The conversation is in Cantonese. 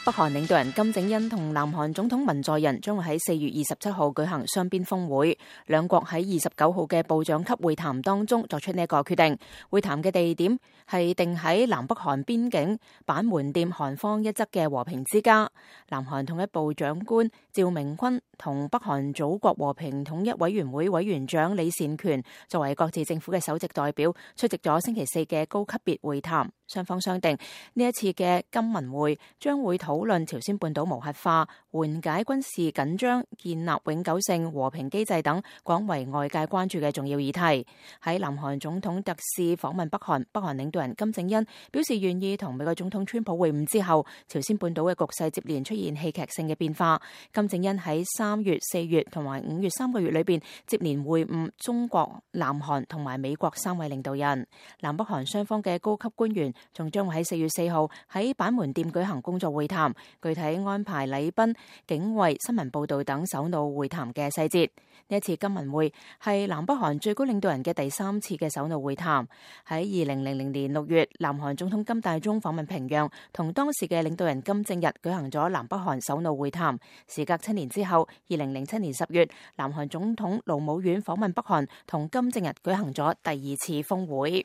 北韓領導人金正恩同南韓總統文在寅將會喺4月27號舉行雙邊峰會，兩國喺29號嘅部長級會談當中作出呢一個決定。會談嘅地點係定喺南北韓邊境板門店韓方一側嘅和平之家。南韓統一部長官趙明君同北韓祖國和平統一委員會委員長李善權作為各自政府嘅首席代表出席咗星期4嘅高級別會談。雙方商定呢一次嘅金文會將會討論朝鮮半島無核化、緩解軍事緊張、建立永久性和平機制等廣為外界關注嘅重要議題。喺南韓總統特使訪問北韓，北韓領導人金正恩表示願意同美國總統川普會晤之後，朝鮮半島嘅局勢接連出現戲劇性嘅變化。金正恩喺3月、4月同埋5月3個月裏邊接連會晤中國、南韓同埋美國3位領導人。南北韓雙方嘅高級官員仲將會喺4月4號喺板門店舉行工作會談，具體安排禮賓、警衛、新聞報道等首腦會談嘅細節。呢一次金文會係南北韓最高領導人嘅第3次嘅首腦會談。喺2000年6月，南韓總統金大中訪問平壤，同當時嘅領導人金正日舉行咗南北韓首腦會談。時隔7年之後，2007年10月，南韓總統盧武鉉訪問北韓，同金正日舉行咗第2次峰會。